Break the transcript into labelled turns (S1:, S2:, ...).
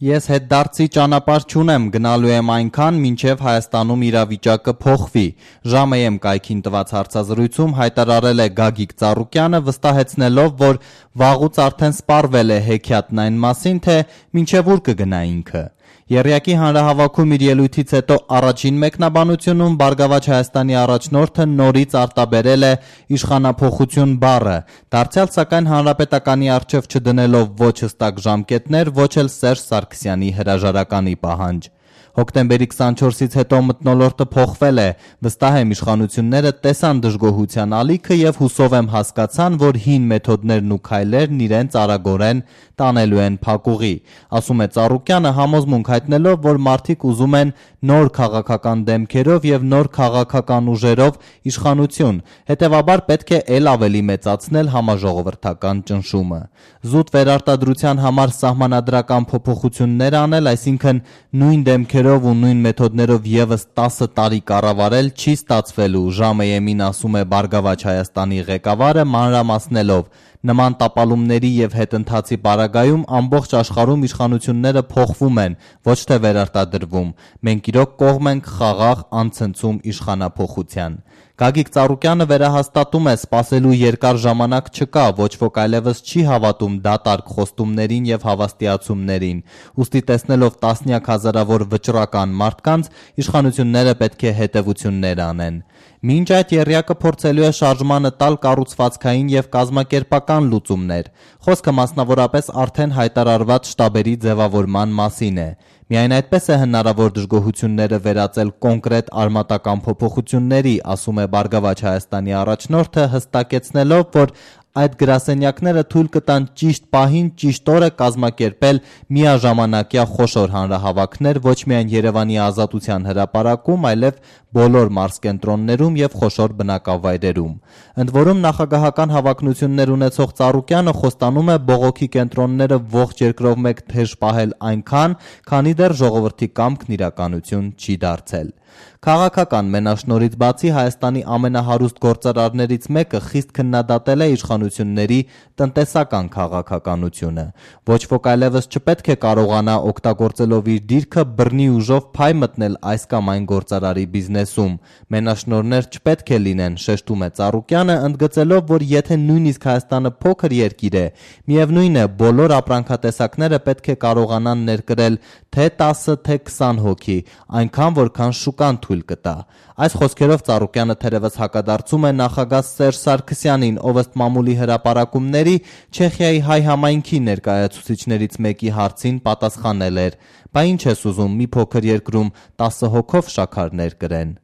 S1: Ես հետդարձի ճանապարհ չունեմ, գնալու եմ այնքան, մինչև Հայաստանում իրավիճակը փոխվի, ԺԱՄԸ կայքին տված հարցազրույցում հայտարարել է Գագիկ Ծառուկյանը, վստահեցնելով, որ վաղուց արդեն սպառվել է հեքիաթն այն մասին, թե մինչև ուր կգնա ինքը։ Եռյակի հանրահավաքում իր ելույթից հետո առաջին մեկնաբանությունում Բարգավաճ Հայաստանի առաջնորդը նորից արտաբերել է իշխանափոխություն բառը, դարձյալ սակայն հանրապետականի առջև չդնելով ոչ հստակ ժամկետներ, ոչ էլ Սերժ Սարգսյանի հրաժարականի պահանջ։ Հոկտեմբերի 24-ից հետո մթնոլորտը փոխվել է, վստահ եմ իշխանությունները տեսան դժգոհության ալիքը եւ հուսով եմ հասկացան, որ հին մեթոդներն ու քայլերն իրենց արագորեն տանելու են փակուղի, ասում է Ծառուկյանը, համոզմունք հայտնելով, որ մարդիկ ուզում են նոր քաղաքական դեմքերով եւ նոր քաղաքական ուժերով իշխանություն, հետեւաբար պետք է ել ավելի մեծացնել համաժողովրդական ճնշումը։ Զուտ վերարտադրության համար սահմանադրական փոփոխություններ անել, այսինքն նույն դեմքերով ու նույն մեթոդներով եւս 10 տարի կառավարել չի ստացվելու, ԺԱՄԸ-ին ասում է Բարգավաճ Հայաստանի ղեկավարը, մանրամասնելով. Նման տապալումների եւ հետընթացի պարագայում ամբողջ աշխարհում իշխանությունները փոխվում են, ոչ թե վերարտադրվում։ Մենք իրոք կողմ ենք խաղաղ անցնցում իշխանափոխության։ Գագիկ Ծառուկյանը վերահաստատում է, սպասելու երկար ժամանակ չկա, ոչ ոք այլևս չի հավատում դատարկ խոստումներին եւ հավաստիացումներին, ուստի տեսնելով տասնյակ հազարավոր վճռական մարդկանց, իշխանությունները պետք է հետեւություններ անեն։ Մինչ այդ եռյակը փորձելու է շարժմանը տալ կառուցվածքային եւ կազմակերպական լուծումներ։ Խոսքը մասնավորապես արդեն հայտարարված շտաբերի ձևավորման մասին է։ Միայն այդպես է հնարավոր դժգոհությունները վերածել կոնկրետ արմատական փոփոխությունների, ասում է Բարգավաճ Հայաստանի առաջնորդը, հստակեցնելով, որ այդ գրասենյակները թույլ կտան ճիշտ պահին, ճիշտ օրը կազմակերպել միաժամանակյա խոշոր հանրահավաքներ ոչ միայն Երևանի Ազատության հրապարակում, այլև բոլոր մարզկենտրոններում եւ խոշոր բնակավայրերում։ Ընդ որում նախագահական հավակնություններ ունեցող Ծառուկյանը խոստանում է բողոքի կենտրոնները ողջ երկրով մեկ թեժ պահել այնքան, քանի դեռ ժողովրդի կամքն իրականություն չի դարձել։ Քաղաքական մենաշնորհից բացի Հայաստանի ամենահարուստ գործարարներից մեկը խիստ քննադատել է իշխանությունների տնտեսական քաղաքականությունը։ Ոչ ոք այլևս չպետք է կարողանա օգտագործելով իր դիրքը բռնի ուժով փայ մտնել այս կամ այն գործարարի բիզնեսում։ Մենաշնորհներ չպետք է լինեն, շեշտում է Ծառուկյանը, ընդգծելով, որ եթե նույնիսկ Հայաստանը փոքր երկիր է, միևնույն է, բոլոր ապրանքատեսակները պետք է կարողանան ներկրել թե 10, թե 20 հոգի, այնքան որքան շուկան թույլ կտա։ Այս խոսքերով Ծառուկյանը թերևս հակադարձում է նախագահ Սերժ Սարգսյանին, ով ըստ մամուլի հրապարակումների Չեխիայի հայ համայնքի ներկայացուցիչներից մեկի հարցին պատասխանել էր. «Բա ինչ ես ուզում, մի փոքր երկրում 10 հոգով շաքար ներկրեն»։